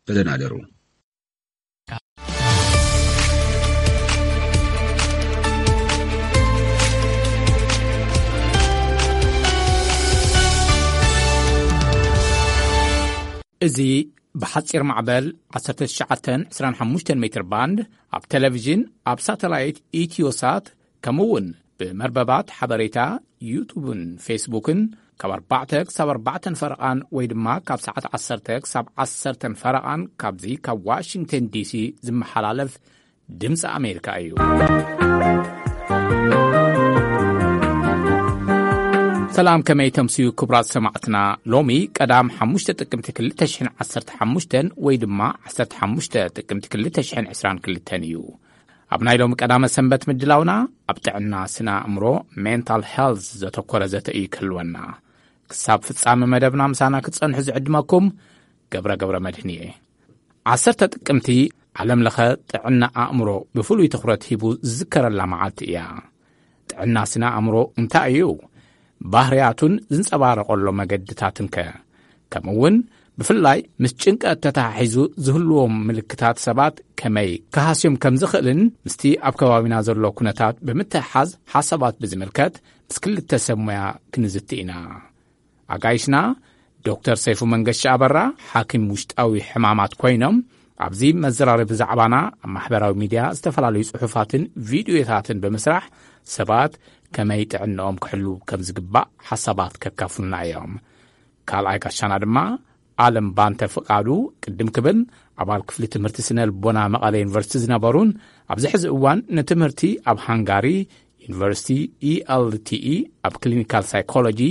ተደናደሩ። እዚ ብሓጺር ማዕበል ዓሰርተ ትሽዓተ ዕስራን ሓሙሽተን ሜትር ባንድ፣ ኣብ ቴሌቪዥን፣ ኣብ ሳተላይት ኢትዮሳት፣ ከምኡ እውን ብመርበባት ሓበሬታ ዩቱብን ፌስቡክን ካብ ኣርባዕተ ክሳብ ኣርባዕተን ፈረቓን ወይ ድማ ካብ ሰዓት ዓሰርተ ክሳብ ዓሰርተን ፈረቓን ካብዚ ካብ ዋሽንግተን ዲሲ ዝመሓላለፍ ድምፂ ኣሜሪካ እዩ። ሰላም፣ ከመይ ተምስዩ ክቡራት ሰማዕትና? ሎሚ ቀዳም ሓሙሽተ ጥቅምቲ ክልተ ሽሕን ዓሰርተ ሓሙሽተን ወይ ድማ ዓሰርተ ሓሙሽተ ጥቅምቲ ክልተ ሽሕን ዕስራን ክልተን እዩ። ኣብ ናይ ሎሚ ቀዳመ ሰንበት ምድላውና ኣብ ጥዕና ስነ ኣእምሮ፣ ሜንታል ሄልዝ፣ ዘተኮረ ዘተ እዩ ክህልወና። ክሳብ ፍጻመ መደብና ምሳና ክትጸንሑ ዝዕድመኩም ገብረ ገብረ መድህን እየ። ዓሰርተ ጥቅምቲ ዓለም ለኸ ጥዕና ኣእምሮ ብፍሉይ ትኹረት ሂቡ ዝዝከረላ መዓልቲ እያ። ጥዕና ስነ ኣእምሮ እንታይ እዩ? ባህርያቱን ዝንጸባረቐሎ መገድታትን ከ? ከምኡ እውን ብፍላይ ምስ ጭንቀት ተተሓሒዙ ዝህልዎም ምልክታት ሰባት ከመይ ክሃስዮም ከም ዝኽእልን ምስቲ ኣብ ከባቢና ዘሎ ኩነታት ብምትሕሓዝ ሓሳባት ብዝምልከት ምስ ክልተ ሰብ ሞያ ክንዝቲ ኢና። ኣጋይሽና ዶክተር ሰይፉ መንገሻ ኣበራ፣ ሓኪም ውሽጣዊ ሕማማት ኮይኖም፣ ኣብዚ መዘራረቢ ዛዕባና ኣብ ማሕበራዊ ሚድያ ዝተፈላለዩ ጽሑፋትን ቪድዮታትን ብምስራሕ ሰባት ከመይ ጥዕንኦም ክሕሉ ከም ዝግባእ ሓሳባት ከካፍሉና እዮም። ካልኣይ ጋሻና ድማ ኣለም ባንተ ፍቃዱ፣ ቅድም ክብል ኣባል ክፍሊ ትምህርቲ ስነ ልቦና መቐለ ዩኒቨርሲቲ ዝነበሩን ኣብዚ ሕዚ እዋን ንትምህርቲ ኣብ ሃንጋሪ ዩኒቨርሲቲ ኢኤልቲኢ ኣብ ክሊኒካል ሳይኮሎጂ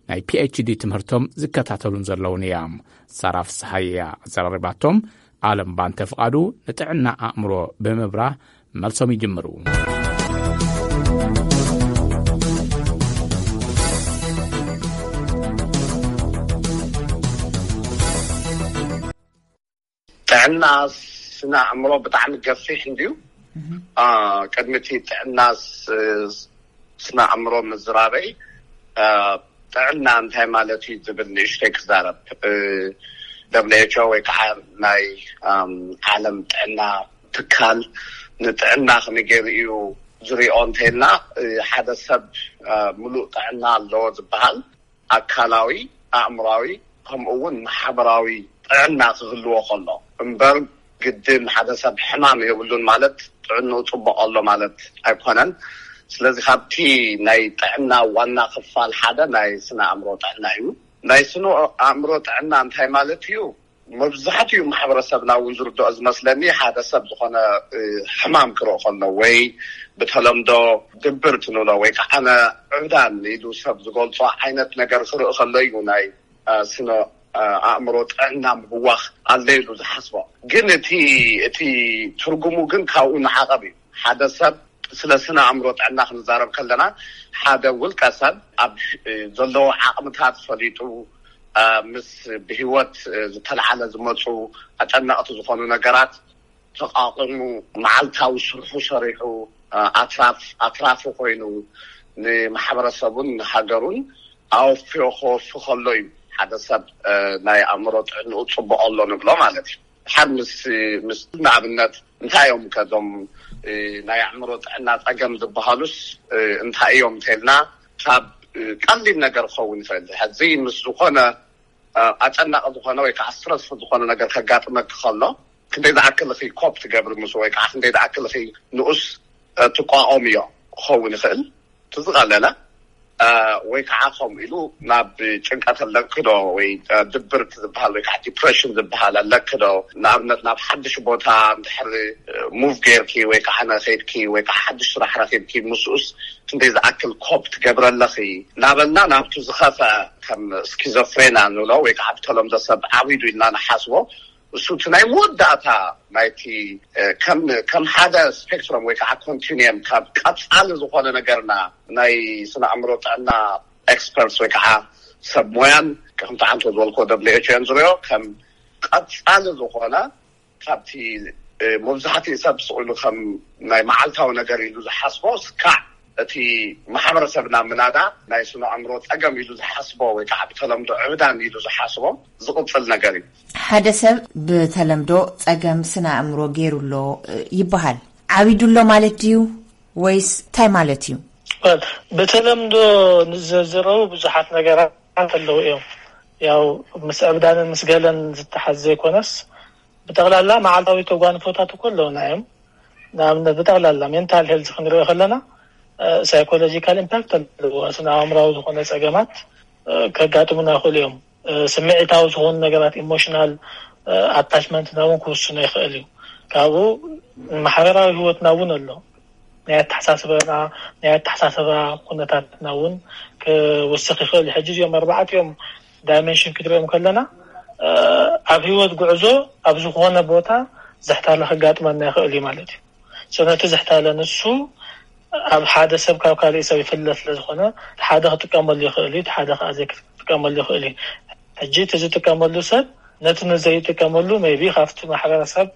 ናይ ፒኤችዲ ትምህርቶም ዝከታተሉን ዘለውን እዮም። ሳራ ፍስሃየ እያ ኣዘራሪባቶም። ኣለም ባንተ ፍቃዱ ንጥዕና ኣእምሮ ብምብራህ መልሶም ይጅምሩ። ጥዕና ስነ ኣእምሮ ብጣዕሚ ገፊሕ እንድዩ። አ፣ ቅድሚ እቲ ጥዕና ስ-፣ ስነ ኣእምሮ ምዝራበይ፣ አ፣ ጥዕና እንታይ ማለት እዩ ዝብል ንእሽተይ ክዛረብ። እ፣ ደብሊው ኤች ኦ ወይ ከዓ ናይ፣ ኣም፣ ዓለም ጥዕና ትካል ንጥዕና ከመይ ገይሩ እዩ ዝሪኦ እንተይልና፣ እ፣ ሓደ ሰብ፣ አ፣ ምሉእ ጥዕና ኣለዎ ዝበሃል ኣካላዊ፣ ኣእምራዊ፣ ከምኡ እውን ማሕበራዊ ጥዕና ክህልዎ ከሎ እምበር፣ ግድን ሓደ ሰብ ሕማም የብሉን ማለት ጥዕንኡ ጽቡቕ ኣሎ ማለት ኣይኮነን። ስለዚ ካብቲ ናይ ጥዕና ዋና ክፋል ሓደ ናይ ስነ ኣእምሮ ጥዕና እዩ። ናይ ስነ ኣእምሮ ጥዕና እንታይ ማለት እዩ? መብዛሕትኡ ማሕበረሰብና እውን ዝርድኦ ዝመስለኒ፣ ሓደ ሰብ ዝኾነ፣ እ፣ ሕማም ክርኢ ከሎ ወይ ብተለምዶ ድብርት ንብሎ ወይ ከዓ ዕብዳን ኢሉ ሰብ ዝገልጾ ዓይነት ነገር ክርኢ ከሎ እዩ ናይ፣ እ፣ ስነ፣ እ፣ ኣእምሮ ጥዕና ምብዋኽ ኣሎ ኢሉ ዝሓስቦ። ግን እቲ፣ እቲ ትርጉሙ ግን ካብኡ ንዓቐብ እዩ። ሓደ ሰብ ስለ ስነ ኣእምሮ ጥዕና ክንዛረብ ከለና፣ ሓደ ውልቀ ሰብ ኣብ፣ እ፣ ዘለዎ ዓቕምታት ፈሊጡ፣ እ፣ ምስ ብህይወት፣ እ፣ ዝተለዓለ ዝመፁ ኣጨነቕቲ ዝኾኑ ነገራት ተቋቒሙ፣ መዓልታዊ ስርሑ ሰሪሑ፣ እ፣ ኣትራፍ-፣ ኣትራፊ ኮይኑ ንማሕበረሰቡን ንሃገሩን ኣወፍዮ ከወፊ ከሎ እዩ ሓደ ሰብ፣ እ፣ ናይ ኣእምሮ ጥዕንኡ ፅቡቕ ኣሎ ንብሎ ማለት እዩ። ድሓር ምስ፣ ምስ ንኣብነት እንታይ እዮም ከዞም፣ እ፣ ናይ ኣእምሮ ጥዕና ጸገም ዝበሃሉስ፣ እ፣ እንታይ እዮም እንተልና፣ ካብ፣ እ፣ ቀሊል ነገር ክኸውን ይኽእል። ሕዚ ምስ ዝኾነ፣ እ፣ ኣጨናቂ ዝኾነ ወይ ከዓ ስትረስፉል ዝኾነ ነገር ከጋጥመኪ ከሎ፣ ክንደይ ዝኣክል ኢኺ ኮፕ ትገብሪ ምስ፣ ወይ ከዓ ክንደይ ዝኣክል ኢኺ ንኡስ፣ እ፣ ትቋቋምዮ ክኸውን ይኽእል። እቲ ዝቐለለ፣ እ፣ ወይ ከዓ ከምኡ ኢሉ ናብ ጭንቀት ኣለኪ ዶ ወይ፣ እ፣ ድብርት ዝበሃል ወይ ከዓ ዲፕሬሽን ዝበሃል ኣለኪ ዶ? ንኣብነት ናብ ሓድሽ ቦታ እንድሕር፣ እ፣ ሙቭ ጌርኪ ወይ ከዓ ኸይድኪ ወይ ከዓ ሓድሽ ስራሕ ረኺብኪ ምስኡስ ክንደይ ዝኣክል ኮፕ ትገብሪ ኣለኺ? እናበልና ናብቲ ዝኸፍአ ከም ስኪዞፍሬና ንብሎ ወይ ከዓ ብተለምዶ ሰብ ዓቢዱ ኢልና ንሓስቦ እሱ እቲ ናይ መወዳእታ ናይቲ፣ እ፣ ከም፣ ከም ሓደ ስፔክትረም ወይ ከዓ ኮንቲኒየም ካብ ቀጻሊ ዝኾነ ነገርና ናይ ስነ ኣእምሮ ጥዕና ኤክስፐርትስ ወይ ከዓ ሰብ ሞያን ከምቲ ዓንቶ ዝበልኮ ደብሊው ኤች ኦን ዝሪኦ ከም ቀጻሊ ዝኾነ ካብቲ፣ እ፣ መብዛሕትኡ ሰብ ስቕ ኢሉ ከም ናይ መዓልታዊ ነገር ኢሉ ዝሓስቦ ስካዕ እቲ ማሕበረሰብና ምናዳ ናይ ስነ ኣእምሮ ጸገም ኢሉ ዝሓስቦ ወይ ከዓ ብተለምዶ ዕብዳን ኢሉ ዝሓስቦ ዝቕጽል ነገር እዩ። ሓደ ሰብ ብተለምዶ ጸገም ስነ ኣእምሮ ገይሩ ኣሎ ይበሃል። ዓቢዱ ኣሎ ማለት ድዩ ወይስ እንታይ ማለት እዩ? ብተለምዶ ንዘዝረቡ ብዙሓት ነገራት ኣለዉ እዮም። ያው ምስ ዕብዳንን ምስ ገለን ዝተሓዝ ዘይኮነስ ብጠቕላላ መዓልታዊ ተጓንፎታት እኮ ኣለውና እዮም። ንኣብነት ብጠቕላላ ሜንታል ሄልዝ ክንሪኦ ከለና ሳይኮሎጂካል ኢምፓክት ኣለዎ። ስነ ኣእምራዊ ዝኾነ ጸገማት ከጋጥሙና ይኽእሉ እዮም። ስምዒታዊ ዝኾኑ ነገራት ኢሞሽናል ኣታችመንትና እውን ክውስኖ ይኽእል እዩ። ካብኡ ማሕበራዊ ህይወትና እውን ኣሎ። ናይ ኣተሓሳስበና ናይ ኣተሓሳሰባ ኩነታትና እውን ክውስኽ ይኽእል እዩ። ሕጂ እዚኦም ኣርባዕቲኦም ዳይሜንሽን ክትሪኦም ከለና ኣብ ህይወት ጉዕዞ ኣብ ዝኾነ ቦታ ዝሕታለ ከጋጥመና ይኽእል እዩ ማለት እዩ። ነቲ ዝሕታለ ንሱ ኣብ ሓደ ሰብ ካብ ካልእ ሰብ ይፍለ ስለ ዝኾነ ሓደ ክጥቀመሉ ይኽእል እዩ፣ ሓደ ከዓ ዘይክጥቀመሉ ይኽእል እዩ። ሕጂ እቲ ዝጥቀመሉ ሰብ ነቲ ንዘይጥቀመሉ maybe ካብቲ ማሕበረሰብ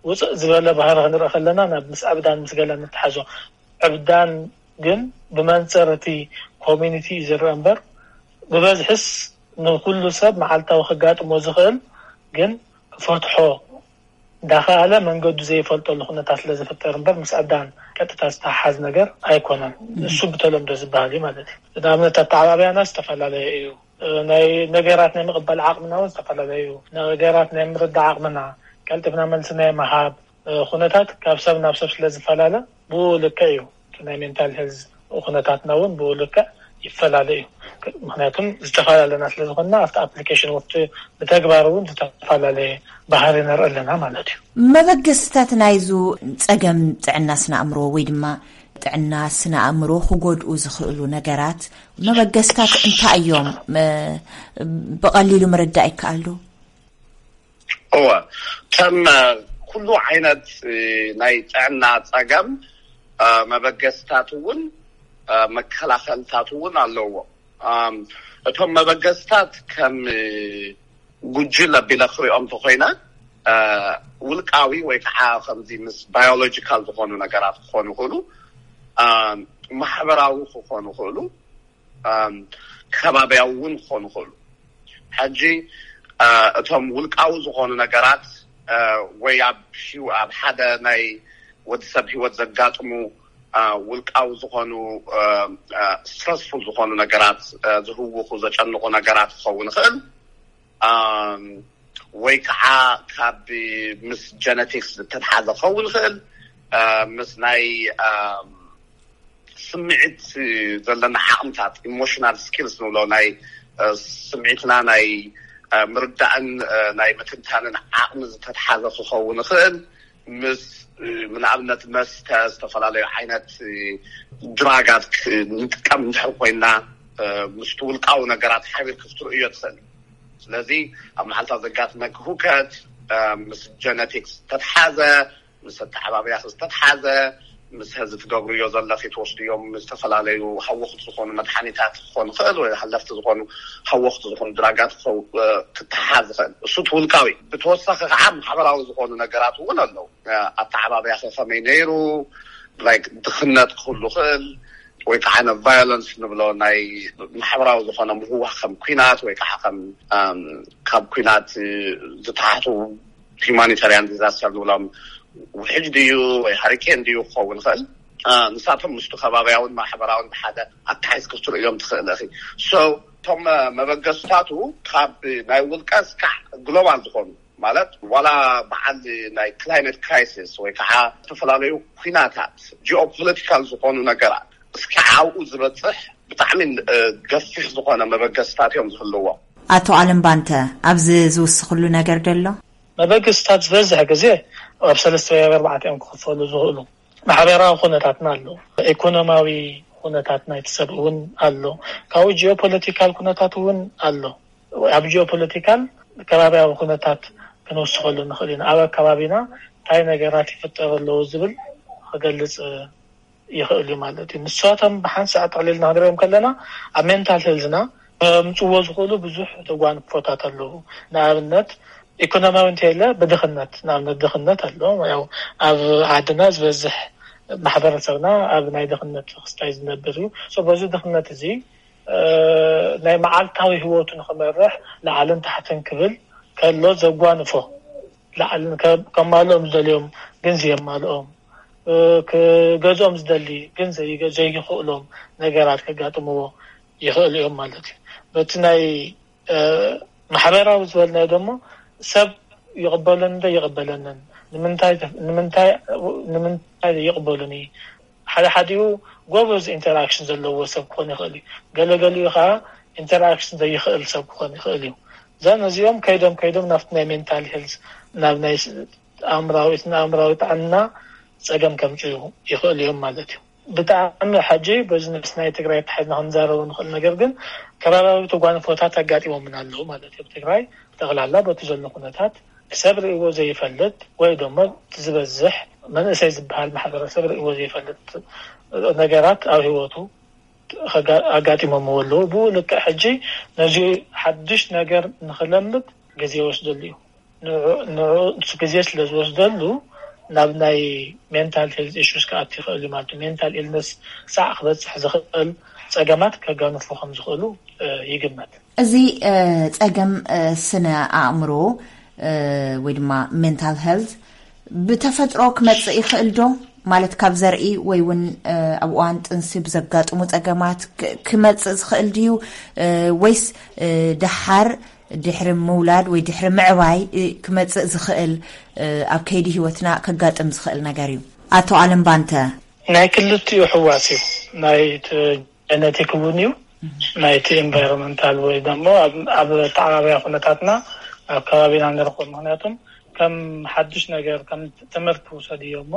ውፅእ ዝበለ ባህሪ ክንርኢ ከለና ናብ ምስ ዕብዳን ምስ ገለን ንተሓዞ። ዕብዳን ግን ብመንፅር እቲ ኮሚኒቲ እዩ ዝረአ እምበር ብበዝሕስ ንኩሉ ሰብ መዓልታዊ ከጋጥሞ ዝኽእል ግን ክፈትሖ እንዳኸኣለ መንገዱ ዘይፈልጠሉ ኩነታት ስለ ዝፍጠር እምበር ምስ ዕብዳን ቀጥታ ዝተሓሓዝ ነገር ኣይኮነን። እሱ ብተለምዶ ዝበሃል እዩ ማለት እዩ። ንኣብነት ኣተዓባብያና ዝተፈላለየ እዩ። ናይ ነገራት ናይ ምቕባል ዓቕምና እውን ዝተፈላለየ እዩ። ነገራት ናይ ምርዳእ ዓቕምና፣ ቀልጢፍና መልሲ ናይ ምሃብ ኩነታት ካብ ሰብ ናብ ሰብ ስለ ዝፈላለ ብኡ ልክዕ እዩ። ናይ ሜንታል ሄልዝ ኩነታትና እውን ብኡ ልክዕ ይፈላለ እዩ። ምክንያቱም ዝተፈላለና ስለ ዝኾንና ኣብቲ ኣፕሊኬሽን ወቅቲ ብተግባር እውን ዝተፈላለየ ባህሪ ንርኢ ኣለና ማለት እዩ። መበገስታት ናይዙ ጸገም ጥዕና ስነ ኣእምሮ ወይ ድማ ጥዕና ስነ ኣእምሮ ክጎድኡ ዝኽእሉ ነገራት መበገስታት እንታይ እዮም? ብቐሊሉ ምርዳእ ይከኣሉ? እወ፣ ከም ኩሉ ዓይነት ናይ ጥዕና ጸገም መበገስታት እውን መከላኸልታት እውን ኣለዎ። እቶም መበገስታት ከም ጉጅለ ኣቢለ ክሪኦም እንተኮይነ ውልቃዊ ወይ ከዓ ከምዚ ምስ ባዮሎጂካል ዝኾኑ ነገራት ክኾኑ ይኽእሉ፣ ማሕበራዊ ክኾኑ ይኽእሉ፣ ከባቢያዊ እውን ክኾኑ ይኽእሉ። ሕጂ እቶም ውልቃዊ ዝኾኑ ነገራት ወይ ኣብ ኣብ ሓደ ናይ ወዲ ሰብ ህይወት ዘጋጥሙ ውልቃዊ ዝኾኑ ስትረስፉል ዝኾኑ ነገራት፣ ዝህውኹ ዘጨንቑ ነገራት ክኸውን ይኽእል፣ ወይ ከዓ ካብ ምስ ጀነቲክስ ዝተትሓዘ ክኸውን ይኽእል፣ ምስ ናይ ስምዒት ዘለና ዓቕምታት፣ ኢሞሽናል ስኪልስ ንብሎ፣ ናይ ስምዒትና ናይ ምርዳእን ናይ ምትንታንን ዓቕሚ ዝተትሓዘ ክኸውን ይኽእል። ምስ ንኣብነት መስተ፣ ዝተፈላለዩ ዓይነት ድራጋት ንጥቀም እንድሕር ኮይና፣ ምስቲ ውልቃዊ ነገራት ሓቢር ክፍትርእዮ ትኽእል። ስለዚ ኣብ መዓልታ ዘጋጥመኪ ሁከት ምስ ጀነቲክስ ዝተትሓዘ፣ ምስ ኣተዓባብያ ዝተትሓዘ፣ ምስ ህዚ ትገብርዮ ዘለኺ ትወስድዮም ዝተፈላለዩ ሃወኽቲ ዝኾኑ መድሓኒታት ክኾን ይኽእል ወይ ሃለፍቲ ዝኾኑ ሃወኽቲ ዝኾኑ ድራጋት ክትሓዝ ይኽእል። እሱ ትውልቃዊ። ብተወሳኺ ከዓ ማሕበራዊ ዝኾኑ ነገራት እውን ኣለዉ። ኣተዓባብያ ከ ከመይ ነይሩ? ላይክ ድኽነት ክህሉ ይኽእል ወይ ከዓ ነ ቫዮለንስ ንብሎ ናይ ማሕበራዊ ዝኾነ ምህዋኽ ከም ኩናት ወይ ከዓ ከም ካብ ኩናት ዝተሓቱ ሂማኒታርያን ዲዛስተር ንብሎም ውሕጅ ድዩ ወይ ሃሪኬን ድዩ ክኸውን ይኽእል። ንሳቶም ምስቲ ከባብያውን ማሕበራውን ብሓደ ኣተሓይዝ ክትርእዮም ትኽእል ኢኺ። ሶ እቶም መበገስታቱ ካብ ናይ ውልቀ እስካዕ ግሎባል ዝኾኑ ማለት ዋላ በዓል ናይ ክላይመት ክራይሲስ ወይ ከዓ ዝተፈላለዩ ኩናታት ጂኦፖለቲካል ዝኾኑ ነገራት እስካዕ ኣብኡ ዝበፅሕ ብጣዕሚ ገፊሕ ዝኾነ መበገስታት እዮም ዝህልዎም። ኣቶ ኣለም ባንተ ኣብዚ ዝውስኽሉ ነገር ደሎ? መበገስታት ዝበዝሕ ግዜ ኣብ ሰለስተ ወይ ኣብ ኣርባዕተ እዮም ክኽፈሉ ዝኽእሉ። ማሕበራዊ ኩነታትና ኣሎ፣ ኢኮኖማዊ ኩነታት ናይቲ ሰብ እውን ኣሎ፣ ካብኡ ጂኦፖለቲካል ኩነታት እውን ኣሎ። ኣብ ጂኦፖለቲካል ከባቢያዊ ኩነታት ክንውስኸሉ ንኽእል ኢና። ኣብ ኣከባቢና እንታይ ነገራት ይፍጠሩ ኣለዉ ዝብል ክገልጽ ይኽእል እዩ ማለት እዩ። ንሳቶም ብሓንሳእ ጠቕሊልና ክንሪኦም ከለና ኣብ ሜንታል ሄልዝና ከምፅዎ ዝኽእሉ ብዙሕ ተጓንፎታት ኣለዉ። ንኣብነት ኢኮኖሚያዊ እንተይለ ብድኽነት ንኣብነት ድኽነት ኣሎ። ያው ኣብ ዓድና ዝበዝሕ ማሕበረሰብና ኣብ ናይ ድኽነት ክስታይ ዝነብር እዩ። በዚ ድኽነት እዚ ናይ መዓልታዊ ህይወቱ ንክመርሕ ላዕልን ታሕትን ክብል ከሎ ዘጓንፎ፣ ላዕልን ከማልኦም ዝደልዮም ግን ዘየማልኦም፣ ክገዝኦም ዝደሊ ግን ዘይክእሎም ነገራት ከጋጥምዎ ይኽእሉ እዮም ማለት እዩ። በቲ ናይ ማሕበራዊ ዝበልናዮ ደሞ ሰብ ይቕበለኒ ዶ ይቕበለንን፣ ንምንታይ ይቕበሉኒ? ሓደ ሓዲኡ ጎበዝ ኢንተራክሽን ዘለዎ ሰብ ክኾን ይኽእል እዩ። ገለገሊኡ ከዓ ኢንተራክሽን ዘይኽእል ሰብ ክኾን ይኽእል እዩ። እዘን እዚኦም ከይዶም ከይዶም ናብቲ ናይ ሜንታል ሄልዝ፣ ናብ ናይ ኣእምራዊ ጥዕና ጸገም ከምፅኡ ይኽእሉ እዮም ማለት እዩ። ብጣዕሚ ሕጂ በዚ ምስ ናይ ትግራይ ተሓዝና ክንዛረቡ ንኽእል። ነገር ግን ከባቢያዊ ተጓንፎታት ኣጋጢሞምን ኣለዉ ማለት እዩ። ኣብ ትግራይ ጠቕላላ በቲ ዘሎ ኩነታት ሰብ ርእይዎ ዘይፈልጥ ወይ ደሞ እቲ ዝበዝሕ መንእሰይ ዝበሃል ማሕበረሰብ ርእይዎ ዘይፈልጥ ነገራት ኣብ ህይወቱ ኣጋጢሞምዎ ኣለዉ። ብኡ ልክዕ ሕጂ ነዚ ሓድሽ ነገር ንክለምድ ግዜ ይወስደሉ እዩ። ንሱ ግዜ ስለ ዝወስደሉ ናብ ናይ ሜንታል ሄልዝ ኢሹስ ክኣት ይኽእል እዩ ማለት እዩ። ሜንታል ኢልነስ ክሳዕ ክበፅሕ ዝኽእል ፀገማት ከጋንፉ ከም ዝኽእሉ ይግመት። እዚ ፀገም ስነ ኣእምሮ ወይ ድማ ሜንታል ሄልዝ ብተፈጥሮ ክመፅእ ይኽእል ዶ? ማለት ካብ ዘርኢ ወይ እውን ኣብ እዋን ጥንሲ ብዘጋጥሙ ፀገማት ክመፅእ ዝኽእል ድዩ? ወይስ ደሓር ድሕሪ ምውላድ ወይ ድሕሪ ምዕባይ ክመፅእ ዝኽእል ኣብ ከይዲ ህይወትና ከጋጥም ዝኽእል ነገር እዩ? ኣቶ ኣለም ባንተ። ናይ ክልቲኡ ሕዋስ እዩ። ናይ ጀነቲክ እውን እዩ፣ ናይቲ ኢንቫይሮንመንታል ወይ ደሞ ኣብ ተዓባብያ ኩነታትና ኣብ ከባቢና ንረኽቦ። ምክንያቱም ከም ሓድሽ ነገር ከም ትምህርቲ ውሰድዮ እሞ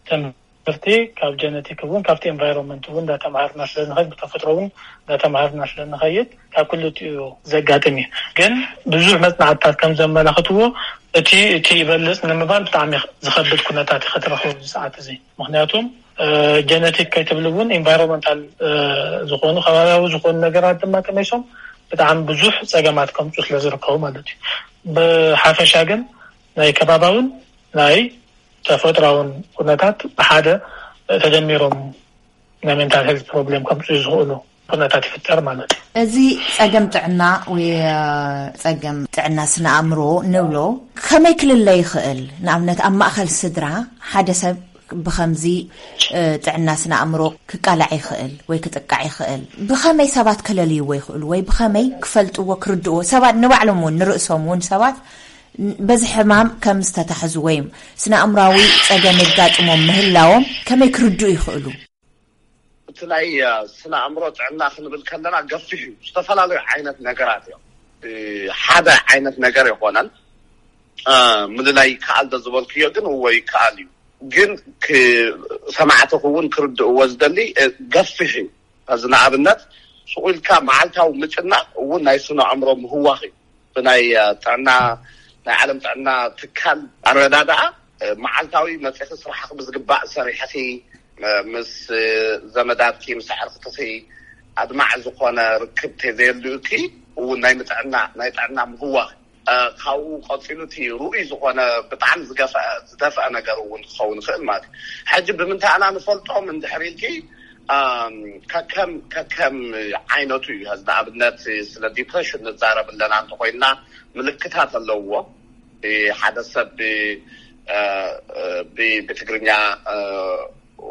ትምህርቲ ካብ ጀነቲክ እውን ካብቲ ኢንቫይሮንመንት እውን እንዳተምሃርና ስለ ንኸይድ፣ ብተፈጥሮ እውን እንዳተምሃርና ስለ ንኸይድ ካብ ክልቲኡ ዘጋጥም እዩ። ግን ብዙሕ መፅናዕትታት ከም ዘመላኽትዎ እቲ እቲ ይበልፅ ንምባል ብጣዕሚ ዝኸብድ ኩነታት እዩ ክትረኽቡ ኣብዚ ሰዓት እዚ። ምክንያቱም ጀነቲክ ከይትብል እውን ኢንቫይሮንመንታል ዝኾኑ ከባቢያዊ ዝኾኑ ነገራት ድማ ተመይሶም ብጣዕሚ ብዙሕ ፀገማት ከምፁ ስለ ዝርከቡ ማለት እዩ። ብሓፈሻ ግን ናይ ከባባውን ናይ ተፈጥራውን ኩነታት ብሓደ ተደሚሮም ናይ ሜንታል ሄልት ፕሮብሌም ከምፅኡ ዝኽእሉ ኩነታት ይፍጠር ማለት እዩ። እዚ ፀገም ጥዕና ወይ ፀገም ጥዕና ስነ ኣእምሮ ንብሎ ከመይ ክልለ ይኽእል? ንኣብነት ኣብ ማእኸል ስድራ ሓደ ሰብ ብኸምዚ ጥዕና ስነ ኣእምሮ ክቃላዕ ይኽእል ወይ ክጥቃዕ ይኽእል። ብኸመይ ሰባት ከለልይዎ ይኽእሉ ወይ ብኸመይ ክፈልጥዎ ክርድእዎ? ሰባት ንባዕሎም እውን ንርእሶም እውን ሰባት በዚ ሕማም ከም ዝተታሕዙ ወይ ስነ ኣእምራዊ ፀገም የጋጥሞም ምህላዎም ከመይ ክርድኡ ይኽእሉ? እቲ ናይ ስነ ኣእምሮ ጥዕና ክንብል ከለና ገፊሕ እዩ። ዝተፈላለዩ ዓይነት ነገራት እዮም። ሓደ ዓይነት ነገር ይኮነን ምልላይ ይከኣል ዶ ዝበልክዮ ግን እዎ ይከኣል እዩ። ግን ሰማዕቲ ክውን ክርድእዎ ዝደሊ ገፊሕ እዩ። እዚ ንኣብነት ስቕ ኢልካ መዓልታዊ ምጭናቕ እውን ናይ ስነ ኣእምሮ ምህዋኽ እዩ። ብናይ ጥዕና ናይ ዓለም ጥዕና ትካል ኣረዳድኣ መዓልታዊ መፅኺ ስራሕኺ ብዝግባእ ሰሪሕኺ ምስ ዘመዳትኪ ምስ ኣዕርኽትኺ ኣድማዕ ዝኾነ ርክብ ተዘየልዩኪ እውን ናይ ምጥዕና ናይ ጥዕና ምህዋኽ ካብኡ ቀፂሉ እቲ ርኡይ ዝኾነ ብጣዕሚ ዝገፍአ ዝደፍአ ነገር እውን ክኸውን ይኽእል ማለት እዩ። ሕጂ ብምንታይ ኣና ንፈልጦም እንድሕር ኢልኪ ከከም ከከም ዓይነቱ እዩ። ንኣብነት ስለ ዲፕሬሽን ንዛረብ ኣለና እንተኮይንና ምልክታት ኣለውዎ። ሓደ ሰብ ብትግርኛ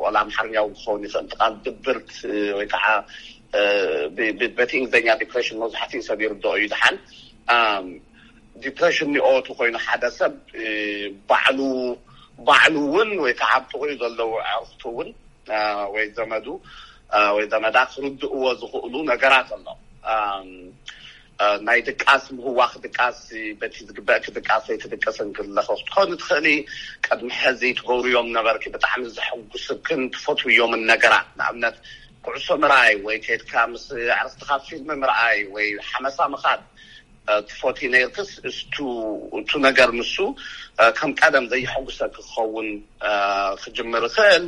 ወላ ኣምሓርኛ እውን ክኸውን ይኽእል ቃል ድብርት ወይ ከዓ በቲ እንግሊዝኛ ዲፕሬሽን መብዛሕትኡ ሰብ ይርድኦ እዩ። ድሓን ዲፕሬሽን ኒኦቱ ኮይኑ ሓደ ሰብ ባዕሉ ባዕሉ እውን ወይ ከዓ ኣብ ጥቕኡ ዘለዉ ኣዕርኽቱ እውን ወይ ዘመዱ ወይ ዘመዳ ክርድእዎ ዝኽእሉ ነገራት ኣሎ። ናይ ድቃስ ምህዋኽ ድቃስ በቲ ዝግበእኪ ድቃስ ወይ ትድቅስን ክለኸ ክትኮኒ ትኽእሊ። ቅድሚ ሕዚ ትገብርዮም ነበርኪ ብጣዕሚ ዘሐጉስክን ትፈትውዮምን ነገራት ንኣብነት ኩዕሶ ምርኣይ ወይ ከድካ ምስ ኣዕርኽትኻ ፊልም ምርኣይ ወይ ሓመሳ ምኻድ ትፈትዩ ነይርክስ እቱ ነገር ንሱ ከም ቀደም ዘየሐጉሰኪ ክኸውን ክጅምር ይኽእል።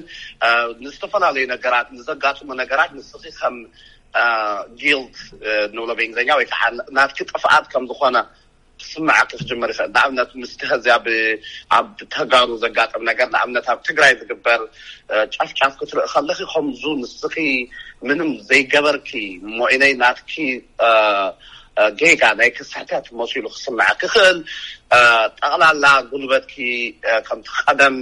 ንዝተፈላለዩ ነገራት ንዘጋጥሙ ነገራት ንስኺ ከም ጊልት ንብሎ ብእንግሊዝኛ ወይ ከዓ ናትኪ ጥፍኣት ከም ዝኾነ ክስምዓኪ ክጅምር ይኽእል። ንኣብነት፣ ምስቲ ኸዚኣ ብ-፣ ኣብ ተጋሩ ዘጋጥም ነገር፣ ንኣብነት፣ ኣብ ትግራይ ዝግበር፣ እ፣ ጨፍጫፍ ክትርኢ ከለኺ፣ ከምዙ ንስኺ ምንም ዘይገበርኪ፣ እሞ ኢነይ ናትኪ፣ እ፣ እ፣ ጌጋ ናይ ክስሕተት መሲሉ ክስምዓኪ ይኽእል። እ፣ ጠቕላላ ጉልበትኪ፣ እ፣ ከምቲ ቀደም፣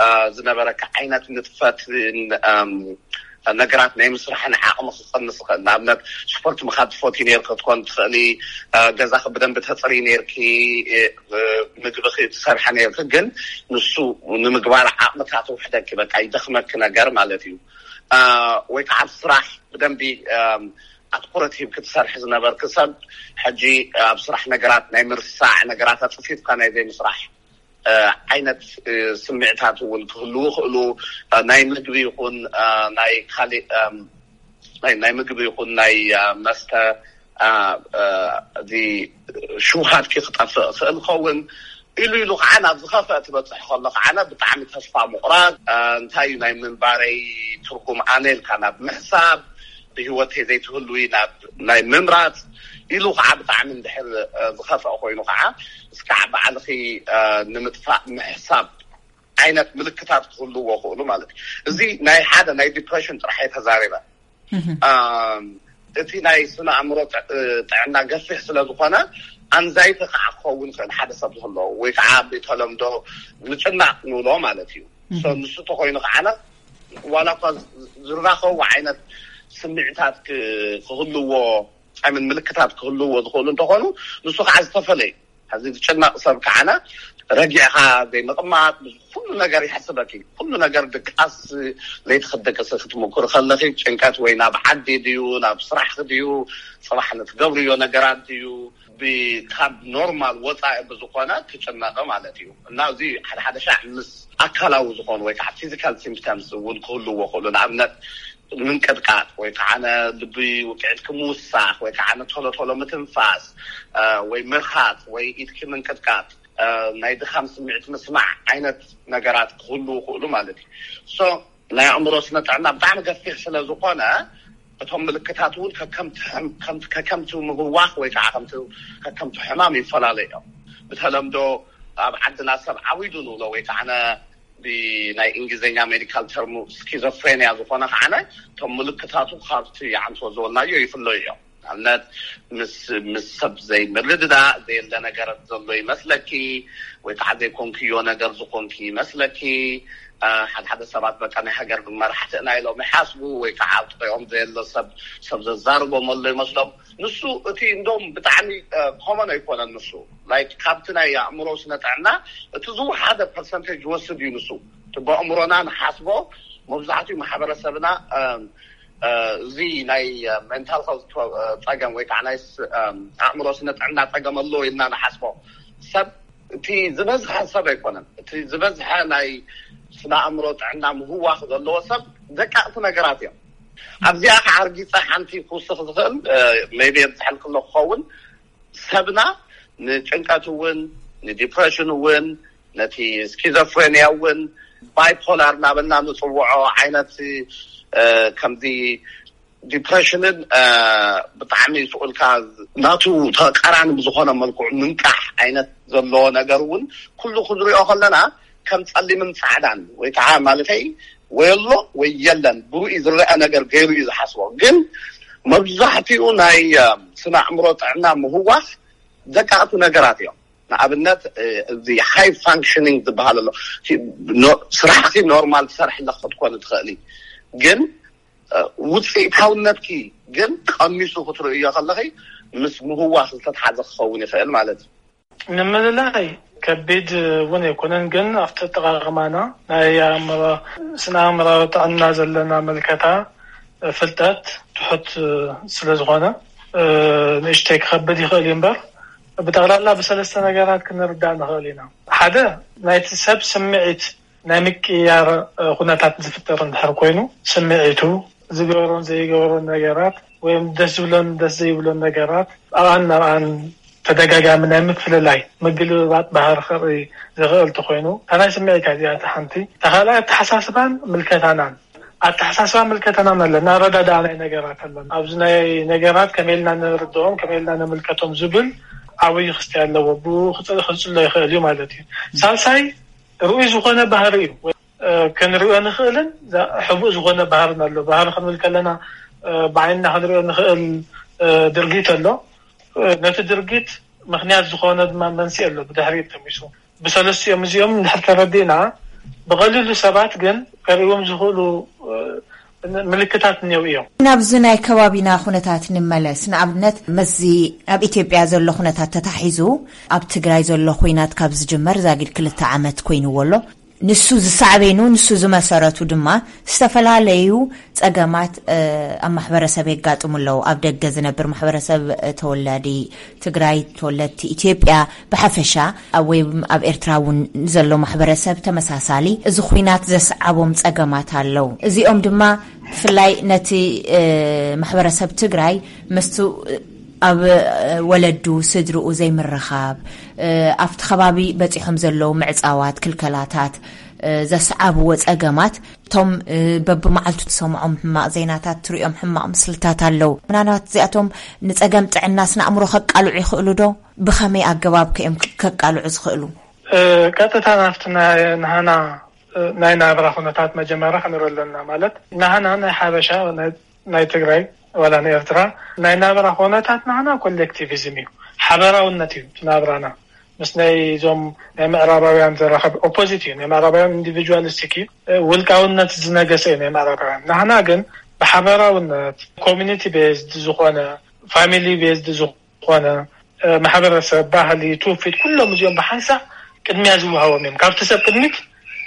እ፣ ዝነበረካ ዓይነት ንጥፈትን፣ እም፣ ነገራት ናይ ምስራሕን ዓቕሚ ክቐንስ ይኽእል። ንኣብነት፣ ስፖርት ምኻድ ትፈትዩ ነይርኪ ክትኮን ትኽእሊ፣ እ፣ ገዛኺ ብደንቢ ተፅሪ ነይርኪ፣ እ፣ ምግብኺ ትሰርሐ ነይርኪ፣ ግን ንሱ ንምግባር ዓቕምታት ውሕደኪ፣ በቃ ይደኽመኪ ነገር ማለት እዩ። እ፣ ወይ ከዓ ኣብ ስራሕ ብደንቢ፣ እም፣ ኣትኩረት ሂብኪ ትሰርሒ ዝነበርኪ ሰብ፣ ሕጂ ኣብ ስራሕ ነገራት ናይ ምርሳዕ ነገራት ኣፅፊፍካ ናይ ዘይምስራሕ እ፣ ዓይነት፣ እ፣ ስምዕታት እውን ክህልዉ ይኽእሉ። እ፣ ናይ ምግቢ ይኹን፣ እ፣ ናይ ካሊእ፣ እም፣ ናይ፣ ናይ ምግቢ ይኹን ናይ፣ እ፣ መስተ፣ እ፣ እ፣ እዚ ሽውሃትኪ ክጠፍእ ይኽእል ይኸውን። ኢሉ ኢሉ ከዓ ናብ ዝኸፍአ ትበፅሕ ከሎ ከዓ ብጣዕሚ ተስፋ ምቑራፅ፣ እ፣ እንታይ እዩ ናይ ምንባረይ ትርጉም ኣነ ኢልካ ናብ ምሕሳብ፣ ብህይወተይ ዘይትህልዊ ናብ ናይ ምምራፅ ኢሉ ከዓ ብጣዕሚ እንድሕር፣ እ፣ ዝኸፍአ ኮይኑ ከዓ እስካዕ ባዕልኺ፣ እ፣ ንምጥፋእ ምሕሳብ ዓይነት ምልክታት ክህልዎ ክእሉ ማለት እዩ። እዚ ናይ ሓደ ናይ ዲፕሬሽን ጥራሕ እየ ተዛሪበ። እም፣ እቲ ናይ ስነ ኣእምሮ ጥ-፣ እ፣ ጥዕና ገፊሕ ስለ ዝኾነ ኣንዛይቲ ከዓ ክኸውን ይኽእል ሓደ ሰብ ዝህልዎ ወይ ከዓ ብተለምዶ ምጭናቕ ንብሎ ማለት እዩ። ሶ ንሱ ተኮይኑ ከዓነ ዋላ እኳ ዝ-፣ ዝራኸቡ ዓይነት ስምዕታት ክ-፣ ክህልዎ፣ ምን ምልክታት ክህልዎ ዝኽእሉ እንተኾኑ፣ ንሱ ከዓ ዝተፈለዩ። ሕዚ ዝጭነቕ ሰብ ከዓነ ረጊዕካ ዘይምቕማጥ፣ ብዙ ኩሉ ነገር ይሕስበኪ። ኩሉ ነገር ድቃስ ለይቲ ክትደቅሲ ክትምኩር ከለኺ፣ ጭንቀት ወይ ናብ ዓዲ ድዩ፣ ናብ ስራሕ ድዩ፣ ጽባሕ ንትገብርዮ ነገራት ድዩ፣ ብ-፣ ካብ ኖርማል ወጻኢ ብዝኾነ ትጭነቕ ማለት እዩ። እና እዚ ሓደ ሓደ ሻዕ ምስ ኣካላዊ ዝኾኑ ወይ ከዓ ፊዚካል ሲምፕተምስ እውን ክህልዎ ክእሉ። ንኣብነት ምንቅጥቃጥ ወይ ከዓ ነ ልቢ ውቅዒትኪ ምውሳኽ ወይ ከዓ ነ ቶሎ ቶሎ ምትንፋስ፣ እ፣ ወይ ምርኻት ወይ ኢድኪ ምንቅጥቃጥ፣ እ፣ ናይ ድኻም ስምዒት ምስማዕ ዓይነት ነገራት ክህልዉ ክእሉ ማለት እዩ። ሶ ናይ ኣእምሮ ስነ ጥዕና ብጣዕሚ ገፊሕ ስለ ዝኾነ እቶም ምልክታት እውን ከከምቲ ሕም-፣ ከምቲ፣ ከከምቲ ምህዋኽ ወይ ከዓ ከምቲ፣ ከከምቲ ሕማም ይፈላለዩ እዮም። ብተለምዶ ኣብ ዓድና ሰብ ዓዊዱ ንብሎ ወይ ከዓ ነ ብናይ እንግሊዝኛ ሜዲካል ተርሙ ስኪዞፍሬንያ ዝኾነ ከዓነ እቶም ምልክታቱ ካብቲ ይዓንቶ ዝበልናዮ ይፍለዩ እዮም። ንኣብነት ምስ፣ ምስ ሰብ ዘይምርድዳእ፣ ዘየለ ነገር ዘሎ ይመስለኪ፣ ወይ ከዓ ዘይኮንክዮ ነገር ዝኾንኪ ይመስለኪ። እ፣ ሓደ ሓደ ሰባት በቃ ናይ ሃገር መራሕቲ ኢና ኢሎም ይሓስቡ፣ ወይ ከዓ ኣብ ጥቕኦም ዘየለ ሰብ፣ ሰብ ዘዛርቦም ኣሎ ይመስሎም። ንሱ እቲ እንደውም ብጣዕሚ፣ እ፣ ኮመን ኣይኮነን ንሱ። ላይክ ካብቲ ናይ ኣእምሮ ስነ ጥዕና እቲ ዝወሓደ ፐርሰንቴጅ ይወስድ እዩ ንሱ። እቲ ብኣእምሮና ንሓስቦ መብዛሕትኡ ማሕበረሰብና፣ እ፣ እ፣ እዚ ናይ፣ እ፣ ሜንታል ሄልት ፕሮ-፣ እ፣ ፀገም ወይ ከዓ ናይ ስ-፣ እ፣ ኣእምሮ ስነ ጥዕና ፀገም ኣለዎ ኢልና ንሓስቦ ሰብ እቲ ዝበዝሐ ሰብ ኣይኮነን። እቲ ዝበዝሐ ናይ ስነ ኣእምሮ ጥዕና ምህዋኽ ዘለዎ ሰብ ደቃቕቲ ነገራት እዮም። ኣብዚኣ ከዓ ኣርጊፀ ሓንቲ ክውስኽ ዝኽእል፣ እ፣ ሜይቢ የብዝሐልክሎ ክኸውን፣ ሰብና ንጭንቀት እውን፣ ንዲፕሬሽን እውን፣ ነቲ ስኪዞፍሬንያ እውን ባይፖላር እናበልና ንፅውዖ ዓይነት፣ እ፣ ከምዚ ዲፕሬሽንን፣ እ፣ ብጣዕሚ ስቑልካ ናቱ ተቃራኒ ብዝኾነ መልክዑ ምንቃሕ ዓይነት ዘለዎ ነገር እውን ኩሉ ክንሪኦ ከለና ከም ጸሊምን ጻዕዳን ወይ ከዓ ማለተይ ወይ ኣሎ ወይ የለን ብሩኢ ዝረአ ነገር ገይሩ እዩ ዝሓስቦ። ግን መብዛሕትኡ ናይ፣ እ፣ ስነ ኣእምሮ ጥዕና ምህዋኽ ደቃቕቲ ነገራት እዮም። ንኣብነት፣ እ፣ እዚ ሃይ ፋንክሽኒንግ ዝበሃል ኣሎ። ኖ-፣ ስራሕኪ ኖርማል ትሰርሒ ኣለኺ ክትኮኒ ትኽእሊ፣ ግን፣ እ፣ ውፅኢታውነትኪ ግን ቀኒሱ ክትርእዮ ከለኺ ምስ ምህዋኽ ዝተትሓዘ ክኸውን ይኽእል ማለት እዩ። ንምልላይ ከቢድ እውን ኣይኮነን፣ ግን ኣብቲ ኣጠቓቕማና ናይ ኣእምሮ-፣ ስነ ኣእምራዊ ጥዕና ዘለና ምልከታ፣ ፍልጠት ትሑት ስለ ዝኾነ፣ እ፣ ንእሽተይ ክኸብድ ይኽእል እዩ እምበር፣ ብጠቕላላ ብሰለስተ ነገራት ክንርዳእ ንኽእል ኢና። ሓደ፣ ናይቲ ሰብ ስምዒት ናይ ምቅያር፣ እ፣ ኩነታት ዝፍጠር እንድሕር ኮይኑ፣ ስምዒቱ፣ ዝገበሮን ዘይገበሮን ነገራት፣ ወይም ደስ ዝብሎን ደስ ዘይብሎን ነገራት፣ ኣብኣን ናብኣን ተደጋጋሚ ናይ ምፍልላይ፣ ምግልብባጥ ባህሪ ከርኢ ዝኽእል እንተኾይኑ፣ እታ ናይ ስምዒት እያ እዚኣ እታ ሓንቲ። እታ ካልኣይ ኣተሓሳስባን ምልከታናን። ኣተሓሳስባ ምልከታናን ኣለና፣ ኣረዳድኣ ናይ ነገራት ኣለና። ኣብዚ ናይ ነገራት ከመይ ኢልና ንርድኦም፣ ከመይ ኢልና ንምልከቶም ዝብል ዓብይ ክስታይ ኣለዎ፣ ብኡ ክጽ- ክጽሎ ይኽእል እዩ ማለት እዩ። ሳልሳይ ርኡይ ዝኾነ ባህሪ እዩ። እ፣ ክንሪኦ ንኽእልን ዛ- ሕቡእ ዝኾነ ባህርን ኣሎ። ባህሪ ክንብል ከለና፣ እ፣ ብዓይንና ክንሪኦ ንኽእል፣ እ፣ ድርጊት ኣሎ። እ፣ ነቲ ድርጊት ምኽንያት ዝኾነ ድማ መንስኤ ኣሎ። ብድሕሪት ተሚሱ ብሰለስቲኦም እዚኦም እንድሕር ተረዲእና፣ ብቐሊሉ ሰባት ግን ከርእዎም ዝኽእሉ፣ እ፣ ምልክታት እኒው እዮም። ናብዚ ናይ ከባቢና ኩነታት ንመለስ። ንኣብነት፣ ምስዚ ኣብ ኢትዮጵያ ዘሎ ኩነታት ተታሒዙ፣ ኣብ ትግራይ ዘሎ ኩናት ካብ ዝጅመር ዛጊድ ክልተ ዓመት ኮይንዎ ኣሎ። ንሱ ዝሳዕቤኑ፣ ንሱ ዝመሰረቱ ድማ ዝተፈላለዩ ጸገማት፣ እ፣ ኣብ ማሕበረሰብ የጋጥሙ ኣለዉ። ኣብ ደገ ዝነብር ማሕበረሰብ፣ እ፣ ተወላዲ ትግራይ፣ ተወለድቲ ኢትዮጵያ ብሓፈሻ፣ ኣብ፣ ወይ ኣብ ኤርትራ እውን ዘሎ ማሕበረሰብ ተመሳሳሊ እዚ ኩናት ዘስዓቦም ጸገማት ኣለዉ። እዚኦም ድማ ብፍላይ ነቲ፣ እ፣ ማሕበረሰብ ትግራይ ምስቱ፣ እ፣ ኣብ፣ እ፣ ወለዱ፣ ስድርኡ ዘይምርኻብ፣ እ፣ ኣብቲ ከባቢ በጺሖም ዘለዉ ምዕጻዋት፣ ክልከላታት፣ እ፣ ዘስዓብዎ ጸገማት፣ እቶም፣ እ፣ በብመዓልቱ ትሰምዖም ሕማቕ ዜናታት፣ ትሪኦም ሕማቕ ምስልታት ኣለዉ። ምናልባት እዚኣቶም ንጸገም ጥዕና ስነ ኣእምሮ ከቃልዑ ይኽእሉ ዶ? ብኸመይ ኣገባብ ከ እዮም ከቃልዑ ዝኽእሉ? እ፣ ቀጥታ ናብቲ ናይ ናህና፣ እ፣ ናይ ናብራ ኩነታት መጀመርያ ክንርኢ ኣለና። ማለት ናህና ናይ ሓበሻ፣ ናይ ናይ ትግራይ ዋላ ንኤርትራ ናይ ናብራ ኩነታት ናህና ኮሌክቲቪዝም እዩ፣ ሓበራውነት እዩ እቲ ናብራና። ምስ ናይ እዞም ናይ ምዕራባውያን ዘራኸብ ኦፖዚት እዩ። ናይ ምዕራባውያን ኢንዲቪጁዋሊስቲክ እዩ፣ ውልቃውነት ዝነገሰ እዩ ናይ ምዕራባውያን። ናህና ግን ብሓበራውነት፣ ኮሚኒቲ ቤዝድ ዝኾነ፣ ፋሚሊ ቤዝድ ዝኾነ፣ ማሕበረሰብ፣ ባህሊ፣ ትውፊት፣ ኩሎም እዚኦም ብሓንሳእ ቅድሚያ ዝወሃቦም እዮም። ካብቲ ሰብ ቅድሚት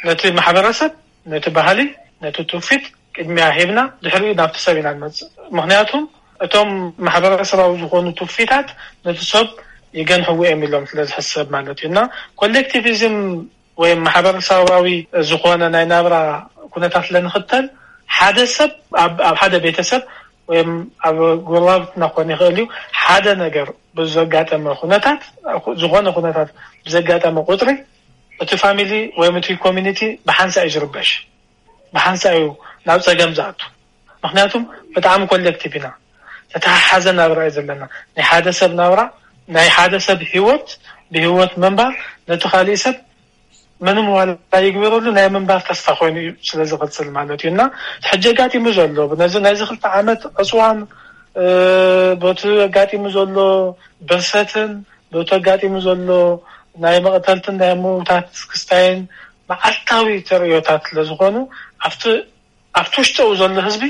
ነቲ ማሕበረሰብ፣ ነቲ ባህሊ፣ ነቲ ትውፊት ቅድሚያ ሂብና ድሕሪኡ ናብቲ ሰብ ኢና ንመጽእ። ምኽንያቱም እቶም ማሕበረሰባዊ ዝኾኑ ትውፊታት ነቲ ሰብ ይገንሕዎ እዮም ኢሎም ስለ ዝሕሰብ ማለት እዩ። እና ኮሌክቲቪዝም ወይም ማሕበረሰባዊ ዝኾነ ናይ ናብራ ኩነታት ለንኽተል፣ ሓደ ሰብ ኣብ ኣብ ሓደ ቤተሰብ ወይም ኣብ ጎረባብትና ክኾን ይኽእል እዩ፣ ሓደ ነገር ብዘጋጠመ ኩነታት፣ ዝኾነ ኩነታት ብዘጋጠመ ቁፅሪ፣ እቲ ፋሚሊ ወይም እቲ ኮሚኒቲ ብሓንሳእ እዩ ዝርበሽ፣ ብሓንሳእ እዩ ናብ ፀገም ዝኣቱ። ምክንያቱም ብጣዕሚ ኮሌክቲቭ ኢና፣ ተተሓሓዘ ናብራ እዩ ዘለና። ናይ ሓደ ሰብ ናብራ፣ ናይ ሓደ ሰብ ሂወት፣ ብሂወት ምንባር ነቲ ካሊእ ሰብ ምንም ዋላ ይግበረሉ ናይ ምንባር ተስፋ ኮይኑ እዩ ስለ ዝቕፅል ማለት እዩ። እና ሕጂ ኣጋጢሙ ዘሎ ነዚ ናይዚ ክልተ ዓመት ዕፅዋን፣ እ፣ በቲ ኣጋጢሙ ዘሎ ብርሰትን በቲ ኣጋጢሙ ዘሎ ናይ መቕተልትን ናይ ምውታት ክስታይን መዓልታዊ ተርእዮታት ስለ ዝኾኑ ኣብቲ ኣብቲ ውሽጠኡ ዘሎ ህዝቢ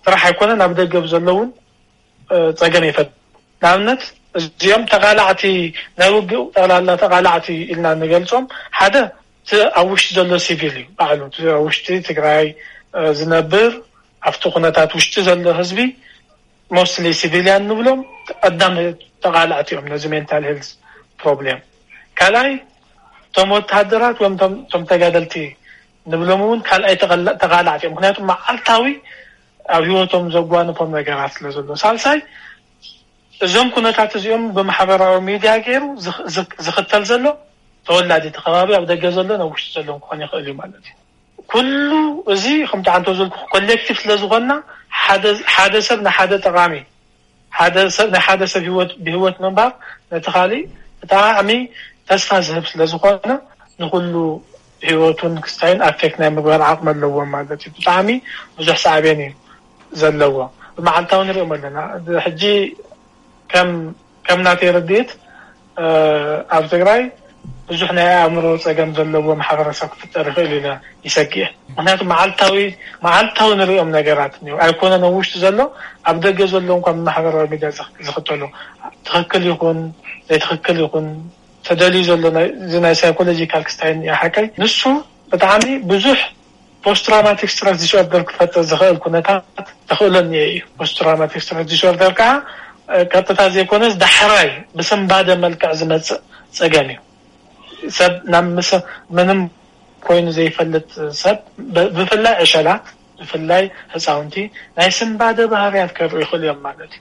ጥራሕ ኣይኮነን ኣብ ደገ ብዘሎ እውን፣ እ፣ ፀገም ይፈጥር። ንኣብነት እዚኦም ተቓላዕቲ ናይ ውግእ ጠቕላላ ተቓላዕቲ ኢልና ንገልፆም ሓደ እቲ ኣብ ውሽጢ ዘሎ ሲቪል እዩ ባዕሉ። እቲ ኣብ ውሽጢ ትግራይ፣ እ፣ ዝነብር ኣብቲ ኩነታት ውሽጢ ዘሎ ህዝቢ ሞስትሊ ሲቪልያን ንብሎም ቀዳም ተቓላዕቲ እዮም ነዚ ሜንታል ሄልዝ ፕሮብሌም። ካልኣይ እቶም ወተሃደራት ወይም እቶም እቶም ተጋደልቲ ንብሎም እውን ካልኣይ ተቐላ- ተቓላዕቲ እዮም። ምክንያቱ መዓልታዊ ኣብ ህይወቶም ዘጓንፎም ነገራት ስለ ዘሎ። ሳልሳይ እዞም ኩነታት እዚኦም ብማሕበራዊ ሚድያ ገይሩ ዝኽ- ዝኽ- ዝኽተል ዘሎ ተወላዲ እቲ ከባቢ ኣብ ደገ ዘሎ ናብ ውሽጢ ዘሎ ክኾን ይኽእል እዩ ማለት እዩ። ኩሉ እዚ ከምቲ ዓንቶ ዘልኩ ኮሌክቲቭ ስለ ዝኾንና ሓደ ሓደ ሰብ ንሓደ ጠቓሚ ሓደ ሰብ ናይ ሓደ ሰብ ህይወት ብህይወት ምንባር ነቲ ካሊእ ብጣዕሚ ተስፋ ዝህብ ስለ ዝኾነ ንኩሉ ህይወቱን ክስታይን ኣፌክት ናይ ምግባር ዓቕሚ ኣለዎም ማለት እዩ። ብጣዕሚ ብዙሕ ሳዕቤን እዩ ዘለዎ። ብመዓልታዊ ንሪኦም ኣለና። ሕጂ ከም ከም ናተይ ርድኢት ኣብ ትግራይ ብዙሕ ናይ ኣእምሮ ፀገም ዘለዎ ማሕበረሰብ ክፍጠር ይኽእል ኢለ ይሰግእ። ምክንያቱ መዓልታዊ መዓልታዊ ንሪኦም ነገራት እኒው ኣይኮነ ኣብ ውሽጢ ዘሎ ኣብ ደገ ዘሎ እንኳ ማሕበራዊ ሚድያ ዝኽተሎ ትኽክል ይኹን ዘይትኽክል ይኹን ተደልዩ ዘሎ እዚ ናይ ሳይኮሎጂካል ክስታይ ሓቀይ ንሱ ብጣዕሚ ብዙሕ ፖስት ትራውማቲክ ስትረስ ዲስኦርደር ክፈጥር ዝኽእል ኩነታት ተኽእሎ እኒኦ እዩ። ፖስት ትራውማቲክ ስትረስ ዲስኦርደር ከዓ ቀጥታ ዘይኮነስ ዳሕራይ ብስንባደ መልክዕ ዝመፅእ ፀገም እዩ። ሰብ ናብ ምስ ምንም ኮይኑ ዘይፈልጥ ሰብ ብፍላይ ዕሸላት ብፍላይ ህፃውንቲ ናይ ስንባደ ባህርያት ከርኡ ይኽእሉ እዮም ማለት እዩ።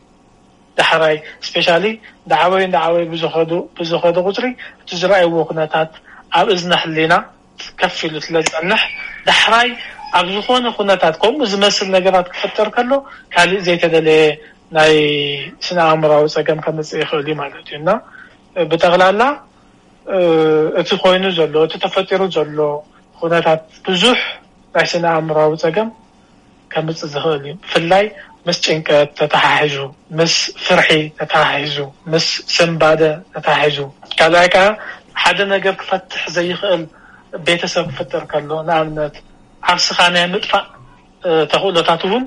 ዳሕራይ ስፔሻሊ እንዳዓበዩ እንዳዓበዩ ብዝኸዱ ብዝኸዱ ቁፅሪ እቲ ዝረኣይዎ ኩነታት ኣብ እዝነ ህሊና ከፍ ኢሉ ስለ ዝፀንሕ ዳሕራይ ኣብ ዝኾነ ኩነታት ከምኡ ዝመስል ነገራት ክፍጠር ከሎ ካሊእ ዘይተደለየ ናይ ስነ ኣእምራዊ ፀገም ከምፅእ ይኽእል እዩ ማለት እዩ። እና ብጠቕላላ እቲ ኮይኑ ዘሎ፣ እቲ ተፈጢሩ ዘሎ ኩነታት ብዙሕ ናይ ስነ ኣእምራዊ ጸገም ከምጽእ ዝኽእል እዩ። ብፍላይ ምስ ጭንቀት ተተሓሒዙ፣ ምስ ፍርሒ ተተሓሒዙ፣ ምስ ስንባደ ተተሓሒዙ፣ ካልኣይ ከኣ ሓደ ነገር ክፈትሕ ዘይኽእል ቤተሰብ ክፍጠር ከሎ፣ ንኣብነት ዓርስኻ ናይ ምጥፋእ ተኽእሎታት እውን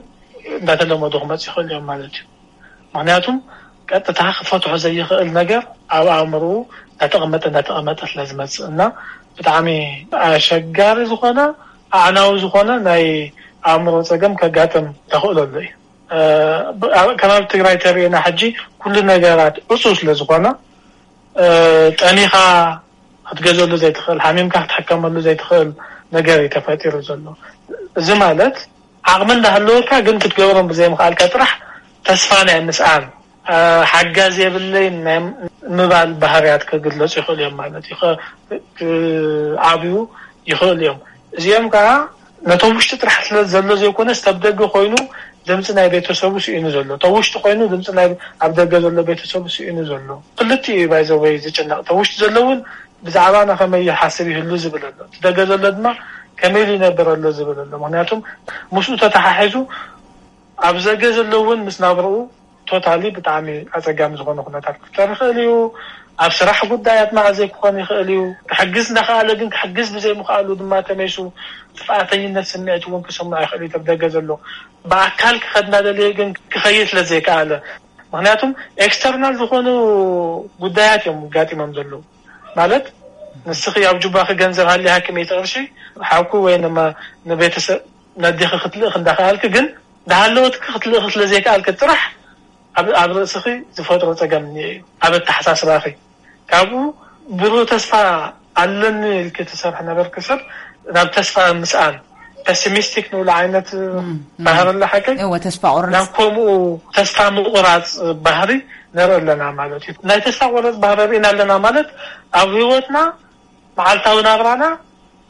እንዳተለመዱ ክመጽእ ይኽእል እዮም ማለት እዩ። ምክንያቱም ቀጥታ ክፈትሖ ዘይኽእል ነገር ኣብ ኣእምርኡ እንዳተቐመጠ እንዳተቐመጠ ስለ ዝመፅእ እና ብጣዕሚ ኣሸጋሪ ዝኾነ ኣዕናዊ ዝኾነ ናይ ኣእምሮ ፀገም ከጋጥም ተኽእሎ ኣሎ እዩ። ከባቢ ትግራይ ተሪእና ሕጂ ኩሉ ነገራት ዕፁ ስለ ዝኾነ ጠሚኻ ክትገዘሉ ዘይትኽእል፣ ሓሚምካ ክትሕከመሉ ዘይትኽእል ነገር እዩ ተፈጢሩ ዘሎ። እዚ ማለት ዓቕሚ እንዳሃለወካ ግን ክትገብሮም ብዘይምኽኣልካ ጥራሕ ተስፋ ናይ ምስኣን፣ ሓጋዝ የብለይን ናይ ምባል ባህርያት ክግለፁ ይኽእሉ እዮም ማለት እዩ። ዓብዩ ይኽእሉ እዮም። እዚኦም ከዓ ነቶም ውሽጢ ጥራሕ ስለ ዘሎ ዘይኮነስ ተብ ደገ ኮይኑ ድምፂ ናይ ቤተሰቡ ስኢኑ ዘሎ፣ ተብ ውሽጢ ኮይኑ ድምፂ ናይ ኣብ ደገ ዘሎ ቤተሰቡ ስኢኑ ዘሎ። ክልቲኡ እዩ ባይዘወይ ዝጭነቕ። ተብ ውሽጢ ዘሎ እውን ብዛዕባና ከመይ ይሓስብ ይህሉ ዝብል ኣሎ። እቲ ደገ ዘሎ ድማ ከመይ ኢሉ ይነብር ኣሎ ዝብል ኣሎ። ምክንያቱም ምስኡ ተተሓሒዙ ኣብ ዘገ ዘሎ እውን ምስ ናብርኡ ቶታሊ ብጣዕሚ ኣፀጋሚ ዝኾነ ኩነታት ክፍጠር ይኽእል እዩ። ኣብ ስራሕ ጉዳያት መዓዘይ ክኾን ይኽእል እዩ። ክሕግዝ እንዳኸኣለ ግን ክሕግዝ ብዘይምኽኣሉ ድማ ተመይሱ ጥፍኣተኝነት ስምዒት እውን ክስምዖ ይኽእል እዩ። ተብ ደገ ዘሎ ብኣካል ክኸድ እናደለየ ግን ክኸይድ ስለ ዘይከኣለ፣ ምክንያቱም ኤክስተርናል ዝኾኑ ጉዳያት እዮም ጋጢሞም ዘለዉ። ማለት ንስኺ ኣብ ጁባኺ ገንዘብ ሃልያ ሃኪመይቲ ቅርሺ ሓኩ ወይ ንማ ንቤተሰብ ነዴኺ ክትልእኽ እንዳኸኣልኪ ግን ዳሃለወትኪ ክትልእኺ ስለ ዘይከኣልኪ ጥራሕ ኣብ ኣብ ርእስኺ ዝፈጥሮ ጸገም እኒኦ እዩ። ኣብ ኣተሓሳስባኺ ካብኡ ብሩህ ተስፋ ኣለኒ ኢልኪ ትሰርሒ ነበርኪ ሰብ ናብ ተስፋ ምስኣን ፐሲሚስቲክ ንብሎ ዓይነት ባህሪ ኣለ ሓቀይ እወ ተስፋ ቁርፅ ናብ ከምኡ ተስፋ ምቁራፅ ባህሪ ንርኢ ኣለና ማለት እዩ። ናይ ተስፋ ቁርፅ ባህሪ ርኢና ኣለና ማለት ኣብ ህይወትና መዓልታዊ ናብራና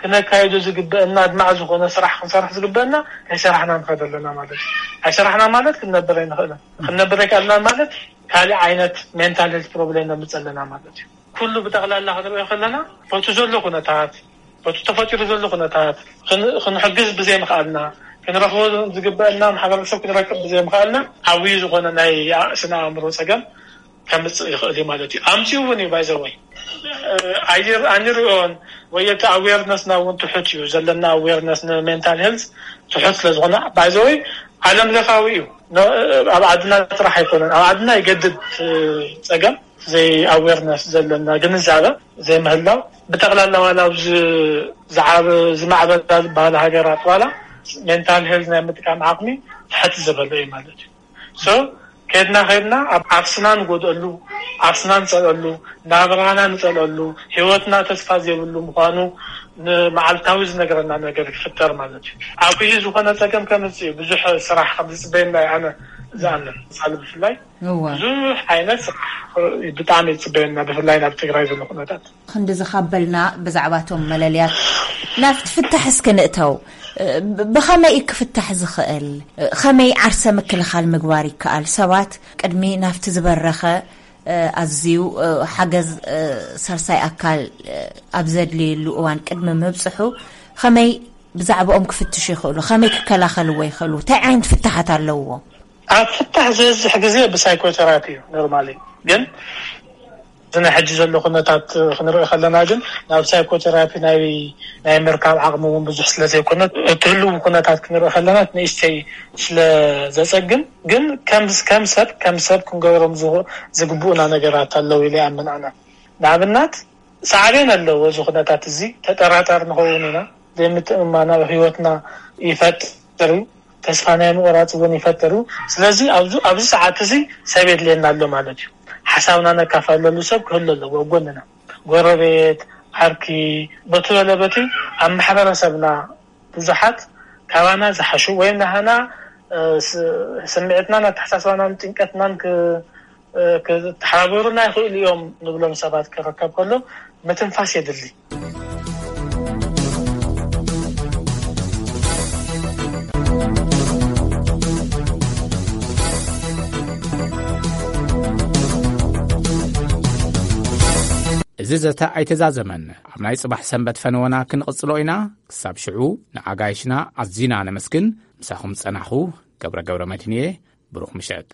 ክነካየዶ ዝግበአና ኣድማዕ ዝኾነ ስራሕ ክንሰርሕ ዝግበአና ከይሰራሕና ንኸድ ኣለና ማለት እዩ። ኣይሰራሕና ማለት ክንነብር ኣይንኽእልን። ክንነብር ኣይከኣልና ማለት ካሊእ ዓይነት ሜንታል ሄልት ፕሮብሌም ነምፅእ ኣለና ማለት እዩ። ኩሉ ብጠቕላላ ክንሪኦ ከለና በቲ ዘሎ ኩነታት በቲ ተፈጢሩ ዘሎ ኩነታት ክንሕግዝ ብዘይምኽኣልና ክንረኽቦ ዝግበአና ማሕበረሰብ ክንረክብ ብዘይምኽኣልና ዓብዩ ዝኾነ ናይ ስነ ኣእምሮ ፀገም ከምፅእ ይኽእል እዩ ማለት እዩ። ኣምፅኡ እውን እዩ ባይዘወይ ኣይር ኣንሪኦን ወይ እቲ ኣዌርነስና እውን ትሑት እዩ ዘለና ኣዌርነስ ንሜንታል ሄልዝ ትሑት ስለ ዝኾነ ባይዘወይ ዓለም ለኻዊ እዩ። ኣብ ዓድና ጥራሕ ኣይኮነን ኣብ ዓድና ይገድድ ፀገም ዘይ ኣዌርነስ ዘለና ግንዛበ ዘይምህላው ብጠቕላላ ዋላ ኣብዚ ዝዓበ ዝማዕበላ ዝበሃሉ ሃገራት ዋላ ሜንታል ሄልዝ ናይ ምጥቃም ዓቕሚ ትሕት ዝበለ እዩ ማለት እዩ። ሶ ከድና ከድና ኣብ ዓርስና ንጎድአሉ ዓርስና ንፀልአሉ ናብራና ንፀልአሉ ህይወትና ተስፋ ዘይብሉ ምዃኑ ንመዓልታዊ ዝነገረና ነገር ክፍጠር ማለት እዩ። ዓብዪ ዝኾነ ፀገም ከምፅእ እዩ ብዙሕ ስራሕ ከም ዝፅበየና እዩ ኣነ ዝኣምን ሳሊ ብፍላይ እወ ብዙሕ ዓይነት ስራሕ ብጣዕሚ ይፅበየና ብፍላይ ናብ ትግራይ ዘሎ ኩነታት። ክንዲ ዝኻበልና ብዛዕባቶም መለልያት ናብቲ ፍታሕ እስኪ ንእተው። ብኸመይ እዩ ክፍታሕ ዝኽእል? ከመይ ዓርሰ ምክልኻል ምግባር ይከኣል? ሰባት ቅድሚ ናብቲ ዝበረኸ ኣዝዩ ሓገዝ ሳልሳይ ኣካል ኣብ ዘድልየሉ እዋን ቅድሚ ምብፅሑ ከመይ ብዛዕባኦም ክፍትሹ ይኽእሉ? ከመይ ክከላኸልዎ ይኽእሉ? እንታይ ዓይነት ፍታሓት ኣለውዎ? ኣብ ፍታሕ ዝበዝሕ ግዜ ብሳይኮቴራፒ እዩ ኖርማሊ ግን እዚ ናይ ሕጂ ዘሎ ኩነታት ክንርኢ ከለና ግን ናብ ሳይኮቴራፒ ናይ ናይ ምርካብ ዓቕሚ እውን ብዙሕ ስለ ዘይኮነ እቲ ህልው ኩነታት ክንርኢ ከለና ንእሽተይ ስለ ዘፀግም ግን ከም ከም ሰብ ከም ሰብ ክንገብሮም ዝግብኡና ነገራት ኣለዉ ኢለ ይኣምን ኣነ። ንኣብነት ሳዕቤን ኣለዎ እዚ ኩነታት እዚ ተጠራጣሪ ንኸውን ኢና ዘይምትእምማን ኣብ ህይወትና ይፈጥር እዩ። ተስፋ ናይ ምቑራፅ እውን ይፈጥር እዩ። ስለዚ ኣብዚ ኣብዚ ሰዓት እዚ ሰብ የድልየና ኣሎ ማለት እዩ። ሓሳብና ነካፈለሉ ሰብ ክህሉ ኣለዎ ኣብ ጎንና። ጎረቤት፣ ዓርኪ፣ በቲ በለ በቲ ኣብ ማሕበረሰብና ብዙሓት ካባና ዝሓሹ ወይም ናሃና ስምዒትናን ኣተሓሳስባናን ጭንቀትናን ክተሓባበሩና ይኽእሉ እዮም ንብሎም ሰባት ክርከብ ከሎ ምትንፋስ የድሊ። እዚ ዘተ ኣይተዛዘመን። ኣብ ናይ ጽባሕ ሰንበት ፈነወና ክንቕጽሎ ኢና። ክሳብ ሽዑ ንኣጋይሽና ኣዚና ነመስግን። ምሳኹም ጸናኹ ገብረ ገብረ መድህንየ። ብሩኽ ምሸት።